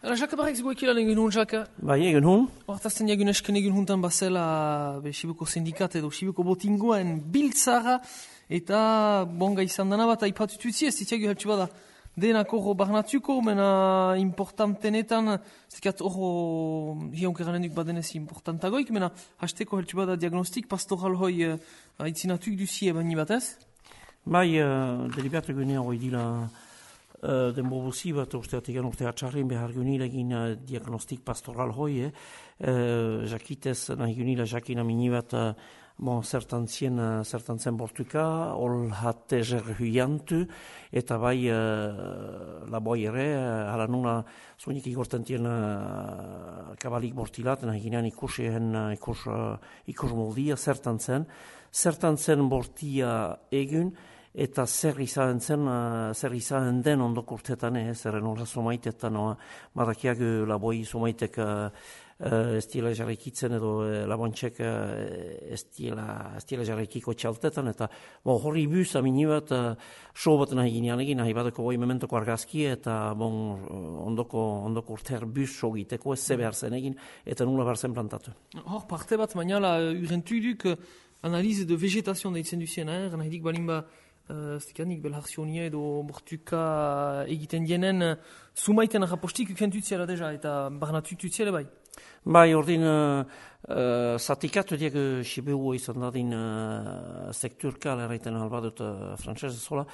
Jaka barrek zgoek ilan egin hun, Jaka? Bai, egin hun. Hortazten jagun esken egin huntan bazela Sibuko sindikat edo Sibuko botingoen biltzara eta bonga izan dana bat aipatututzi ez zitiagu heltsu bada denak horro barnatuko, mena importantenetan, zikat horro hionkeranenuk badenez importantagoik, mena hasteko heltsu bada diagnostik pastoral hoi aitzinatuk duzie bani batez? Bai, deliberat egunean hori dila denbobuzi bat usteatik urte atxarrin behar egin diagnostik pastoral hoi, jakitez nahi gunila jakin amini bat zertan zen bortuka, ol hatte huiantu, eta bai laboi ere, hala nuna zuenik igortentien kabalik bortilat, nahi ginean ikus moldia zertan zen bortia egun, eta zer izan den ondoko urtetan, zerren horra somaitetan, madakiak laboi somaitek ez diela jarraikitzen edo labontxek ez diela jarraikiko txaltetan, eta horri buz amini bat so bat nahi ginean egin, nahi badako boi mementoko argazki, eta ondoko urtear buz so giteko ez ze behar zen egin, eta nula behar zen plantatu. Hor parte bat mainala urentuduk analize de vegetazioan daitzen duzien, nahi dik balin ba Stekanik belharzionia edo bortuka egiten dienen sumaiten rapostik ukentutziela deja eta barnatutziela bai? Bai, ordin zatikatu diak Sibiu izan dadin sekturka, leraiten albadut frantzese zola,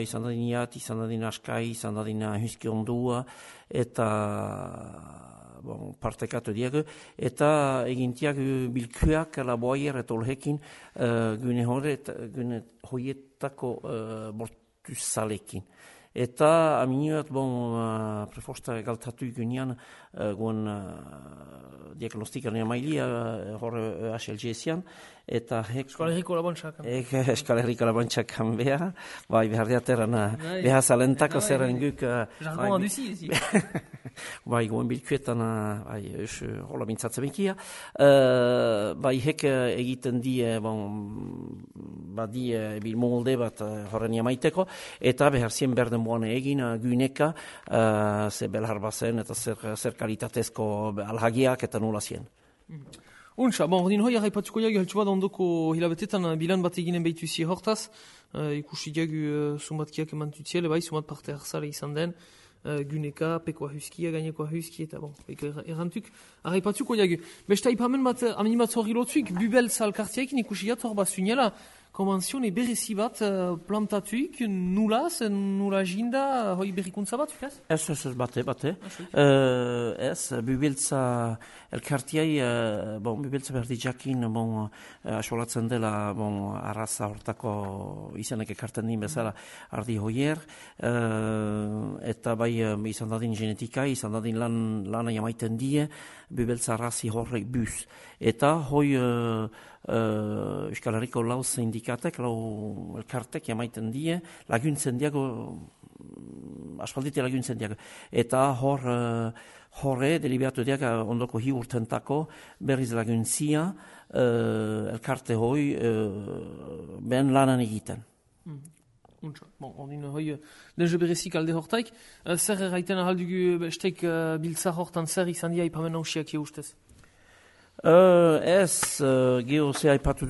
izan dadin iat, izan dadin askai, izan dadin huski ondua, eta partekatu diak, eta egintiak bilkuak laboaier eta olhekin gune hoietako bortuzalekin. Eta aminiot, prefosta galtatu gunean guen diagnostikaren mailia horre HLG-ezian, eta Euskal Herriko labontxakan. Euskal Herriko labontxakan beha, bai, behar diateran, beha zalentako zerren guk. Jargon aduzi, ezi. Bai, guen bilkuetan, bai, hola mintzatzen bekia. Bai, hek egiten die, badie bil molde bat horren jamaiteko, eta behar zien berden boan egin gyneka, ze belhar bazen, eta zer kalitatezko alhagiak eta nula zien. Untsa, ordin hoi arraipatuko jagu heltsu bat ondoko hilabetetan bilan bat eginen behituzi hortaz, ikusi jagu sumatkiak emantutziele, bai, sumat parte harzale izan den, gyneka, pekoa huskia, gainekoa huski, eta errantuk, arraipatuko jagu. Besta ipamen bat, aminimat horri lotzuik, bubeltza alkartiaekin ikusi jat hor bat zunela, konventzione berezi bat plantatuik, nula jinda, hoi berrikuntza bat, ukaz? Ez, bate. Ez, bubeltza elkartiai, bubeltza berdi jakin, asolatzen dela, arraza hortako izanek ekarten din bezala ardi hoier, eta bai izan dadin genetika, izan dadin lana jamaiten die, bubeltza arrazi horrek buz. Eta hoi Euskal Herriko lau sindikatek, lau elkartek jamaiten die, laguntzen diago, aspaldite laguntzen diago. Eta horre, deliberatu diago ondoko hi urtentako berriz laguntzia elkarte hoi ben lanan egiten. Untsa, ordin hoi, denje berezik alde hortaik, zer erraiten ahaldugu bestek biltza hortan zer izan dia ipamen hausiak ustez? Ez, geho ze aipatu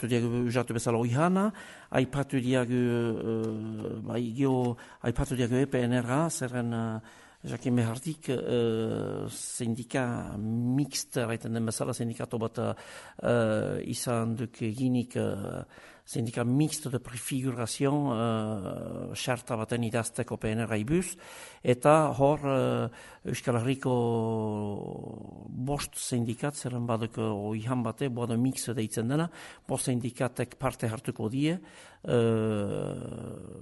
diagu usatu bezala oihana, aipatu diagu EPNR-a, zerren jakin behartik sindika mixt, raiten den bezala sindikato bat izan duk ginik sindika mixt de prefigurazioan xarta baten idazteko PNR-a ibuz, eta hor Euskal Herriko bost sindikat, zerren baduk oihan bate, boado mix deitzen dena, bost sindikatek parte hartuko die,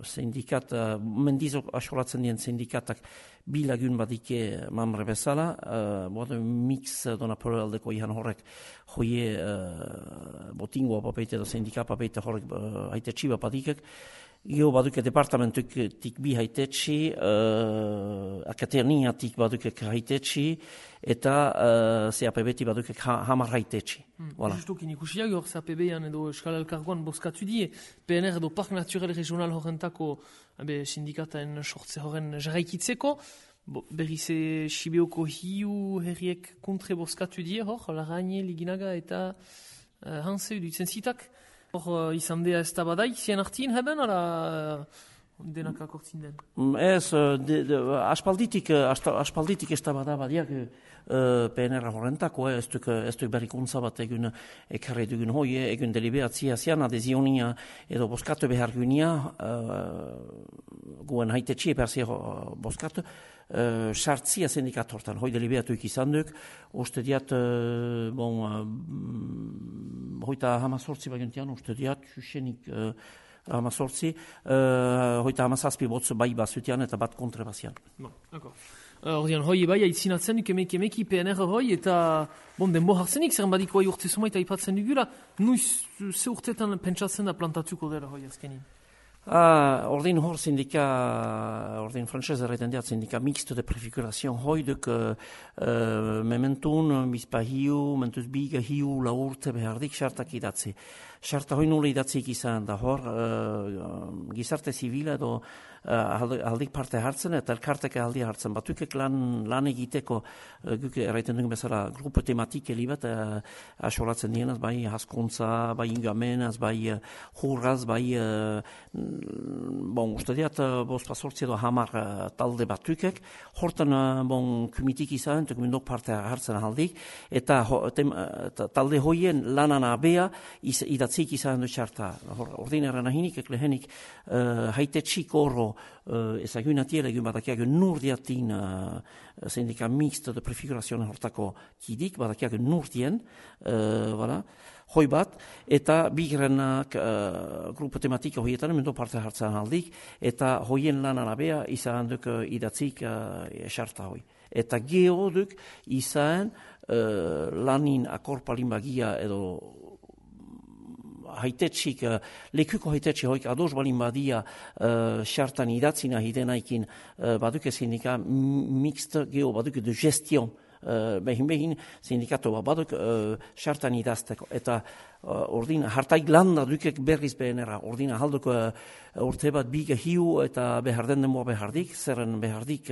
sindikat, mendizo asolatzen dien sindikatak bilagun badike mamre bezala, boado mix donapolo aldeko oihan horrek hoie botingoa papeite edo sindika papeite horrek haite txiba padikek, Gio baduke departamentutik bi haitetsi, akaterniatik baduke haitetsi, eta CAPB-ti baduke hamar haitetsi. Justukin ikusiak hor CAPB-an edo Euskal Elkargoan bozkatu die, PNR edo Park Naturel Regional horrentako sindikataen sortze horren jarraikitzeko, Berriz Sibioko hiu herriek kontre bozkatu die, Larrañe, Liginaga eta Hanse dutzen zitak. Izan dea ez tabadai, zien artien heben, ala denak akortzin den? Ez, aspalditik ez tabada badiak PNR horrentako, ez duk berrikuntza bat egun ekarri dugun hoi, egun deliberatzia zian, adezionia edo bozkatu behar gunia, guen haitetxie persia bozkatu, sartzia sindikat hortan, hoi deliberatuik izan duk, uste diat, hoita hamazortzi baguntian, uste diat, xuxenik hamazortzi, hoita hamazazpi botz bai bazutian eta bat kontre bazian. Ordean, hoi bai, aitzinatzen duk emeki PNR hoi, eta denbo hartzenik, zer badiko hai urte sumait aipatzen dugula, nuiz ze urtetan pentsatzen da plantatuko dela hoi azkenin? Ordin hor sindika, ordin frantzez erraiten diat sindika mixto de prefiguration hoi duk mementun, bizpa hiu, mentuz biga hiu, la urte behardik sartak idatzi. Sarta hoi nula idatzik izan da hor, gizarte zibila edo aldik parte hartzen eta elkarteke aldi hartzen. Batukek lan egiteko, guk erraiten dugu bezala, grupo tematik elibat asolatzen dienaz, bai haskuntza, bai ingamenaz, bai hurraz, bai uste diat, pasortzi edo hamar talde batukek, hortan kumitik izan, kumindok parte hartzen aldik, eta talde hoien lanan abea idatzik izan du txarta. Ordin erran ahinik, eklehenik, haitetxik oro ezagunatiela egun badakiak nurdiatin sindika mixto de prefigurazioa hortako kidik, badakiak nurdien, hoi bat, eta bigrenak grupo tematika hoietan mendo parte hartzen aldik, eta hoien lanan abea izan duk idatzik esarta hoi. Eta geho duk izan lanin akorpalin bagia edo haitetxik, lekuko haitetxik hoik ados balin badia xartan idatzina hidenaikin baduke sindika mixt geho baduke de gestion behin sindikato baduk xartan idazteko. Eta ordin hartaik landa dukek berriz behenera. Ordin ahalduk urte bat biga hiu eta beharden denboa behardik, zerren behardik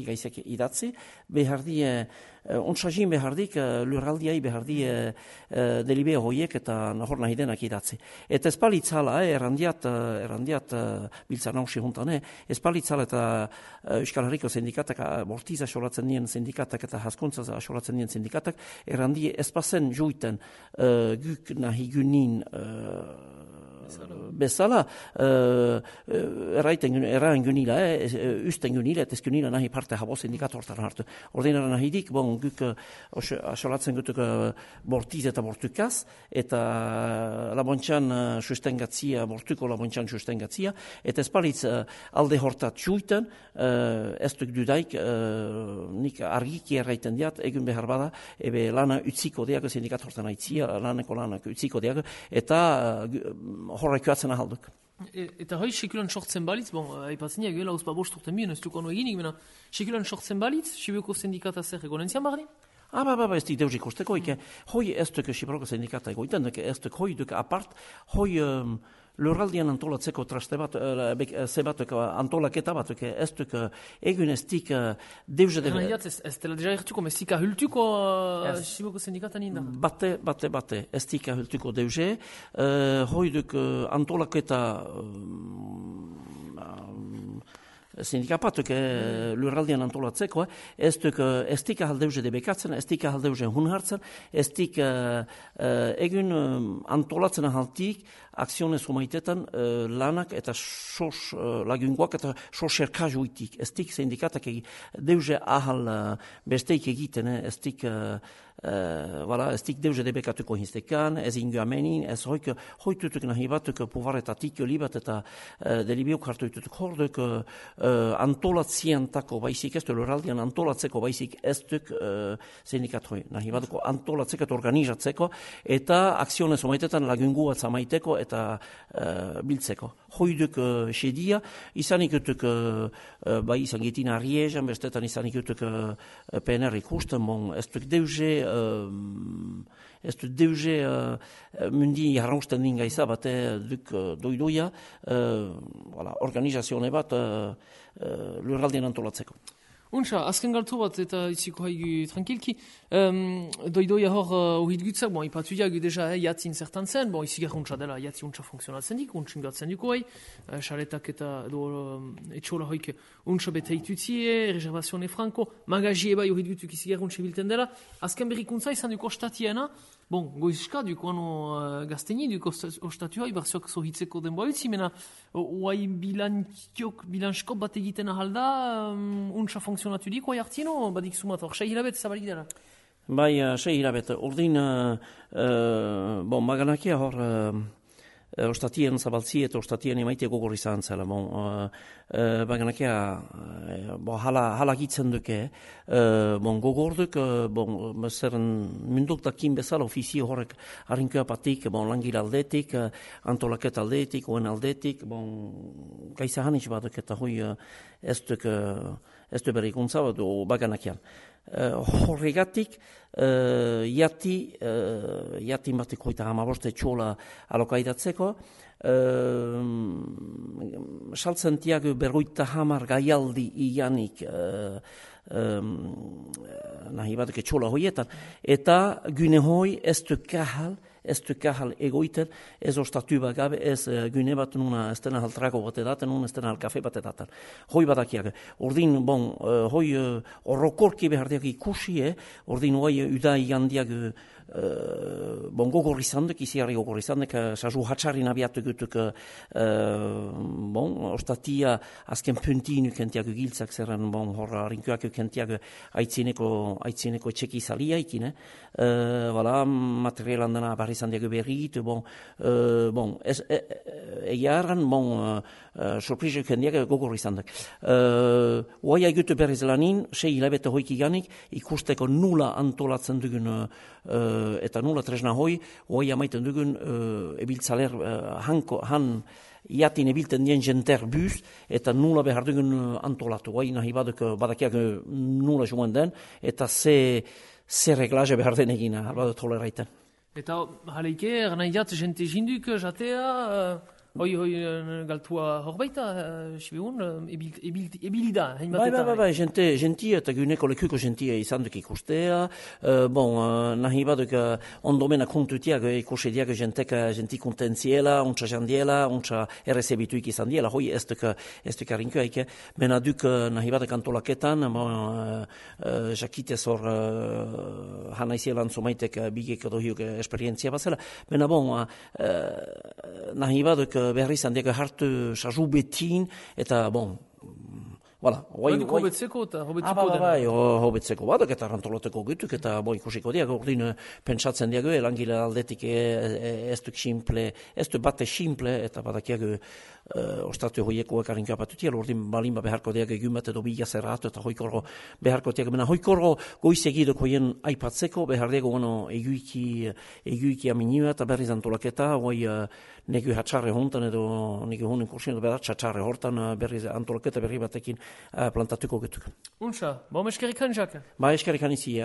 gaizek idatzi, behardi ontsagin behardik, lurraldiai behardi delibeo hoiek eta nahor nahi denak idatzi. Eta espalitzala, errandiat biltzan hausi juntan, espalitzala eta Euskal Herriko sindikatak, bortiza asolatzen dien sindikatak eta haskuntza asolatzen dien sindikatak, errandi espazen juiten guk nahi gunin bezala, erraen gunila, usten gunila, eta ez gunila nahi parte habo sindikatortan hartu. Ordinara nahi dik, guk asolatzen gutuk bortiz eta bortukaz, eta labontxan sustengatzia, bortuko labontxan sustengatzia, eta espalitz alde hortat juiten, ez duk dudaik, nik argiki erraiten diat, egun behar bada, ebe lana utziko diak, sindikatortan aitzia, laneko lanak utziko diak, eta horrek joatzen ahalduk. Eta hoi sekulan sortzen balitz, aipatzen ja, gela uzpa bost urten bien, ez duk ono eginik, mena sekulan sortzen balitz, Sibioko sindikata zer egonentzian barri? Ez dik deus ikusteko, hoi ez duk Sibioko sindikata egoiten, ez duk hoi duk apart, hoi lurraldian antolatzeko traste bat, zebatuk antolaketa batuk, ez duk egun ez dik deuze de... Ez dela deja ertuko, ez dik ahultuko Sibioko sindikata ninda? Bate, ez dik ahultuko deuze, hoi duk antolaketa sindikapatuk lurraldian antolatzeko, ez dik ahaldeuze debekatzen, ez dik ahaldeuze hun hartzen, ez dik egun antolatzen ahaltik, akzionez humaitetan lanak eta sos lagungoak eta sos erkajuitik. Ez dik sindikatak deuze ahal besteik egiten, ez dik deuze debekatuko hinstekan, ez ingo amenin, ez hoitutuk nahi batuk puvaretatik libat eta delibiok hartuitutuk horduk antolatziantako baizik, ez du lurraldian antolatzeko baizik ez duk sindikat hoi. Nahi batuko antolatzeko eta organizatzeko eta akzionez humaitetan lagungoa zamaiteko eta biltzeko. Hoiduk sedia, izanik utuk bai izan gitin Ariezan, bestetan izanik utuk PNR ikusten, ez duk deuze mundi jarrausten din gaiza bat duk doidoia organizazione bat lurraldien antolatzeko. Untxa, azken galtu bat eta itziko haigu tranquilki. Doidoia hor uhit gutzak, bon, ipatu diagu deja jatzin zertan zen, bon, izi untxa dela, jatzi untxa funksionatzen dik, untxin gatzen duko hai, xaretak eta etxola hoik untxa bete itutzie, reservazione franco, magazie bai uhit gutzuk izi untxa bilten dela, azken berrikuntza izan duko ostatiena, bon, goizka duko ano gazteni, duko ostatua, ibarziok zohitzeko denboa utzi, mena, oai bilanskop bat egiten ahalda, untxa funksionatu dik, oai hartino, badik sumat, hor 6 hilabete zabalik dela. Bai, 6 hilabete. Ordin, bon, maganakia hor, ostatien zabaltzi eta ostatien emaite gogor izan zela. Bon, maganakia, bon, hala gitzen duke, bon, gogor duk, bon, zeren munduk dakin bezala ofizio horrek harinkoa patik, bon, langil aldetik, antolaket aldetik, oen aldetik, bon, gaisa hanitz baduk eta hoi ez du berrikuntza bat, baganakian. Horregatik, jati batek hoita hamaboste txola alokaidatzeko, saltzen tiago berroita hamar gaialdi ianik nahi batek txola hoietan, eta gune hoi ez du kahal egoiten, ez ostatu bagabe, ez gune bat nuna ez dena haltrago bat edaten, nuna ez dena halkafe bat edaten. Hoi badakiak. Ordin, bon, hoi horrokorki behardiak ikusi, ordin hoi udai gandiak bon, gogor izandek, iziarri gogor izandek, sasu hatxarrin abiatu gutuk, bon, ostatia azken puntin ukentiak giltzak zerren, bon, horra rinkoak ukentiak aitzineko txeki zalia ikine, voilà, materialan dena barri zandiak berrit, bon, egiarran, bon, sorpresa ukendiak gogor izandek. Oai aigutu berriz lanin, 6 hilabete hoik iganik, ikusteko nula antolatzen dugun eta nula tresna hoi, oai amaiten dugun ebiltzaler han jatin ebilten dien jenter buz, eta nula behar dugun antolatu. Oai nahi badakiak nula joan den, eta ze reglaje behar den egina, albado toleraiten. Eta haleike, nahi jat, jente jinduk jatea, hoi galtua horbaita, sibegun, ebilida. Bai, gentia eta guneko lekuko gentia izan duk ikustea, bon, nahi baduk ondomena kontutiak ikusediak genti kontentziela, untsa jandiela, untsa errezebituik izan diela, hoi ez duk harinkoaik, mena duk nahi baduk antolaketan, jakitez hor hanaizielan zomaitek bigek edo hiuk esperientzia bazela, mena bon, nahi baduk behar izan diak hartu sasu betin, eta bon, voilà. Hobetzeko eta hobetzeko dena. Bai, hobetzeko badak eta rantoloteko gutuk, eta ikusiko diak, ordin pentsatzen diak, langile aldetik ez du bate simple, eta badakiak ostatu hoiekoak harinka patutiel, ordin balimba beharko diak egun bat edo bila zerratu, eta hoikorro beharko diak, mena hoikorro goizegidok hoien aipatzeko, behar diak eguiki aminua, eta berriz antolaketa, hoi negu hatxarre hontan edo negu honen kursien, edo hatxarre hortan berriz antolaketa berri batekin plantatuko getuk. Untxa, eskerrikan, Jacques? Eskerrikan izi,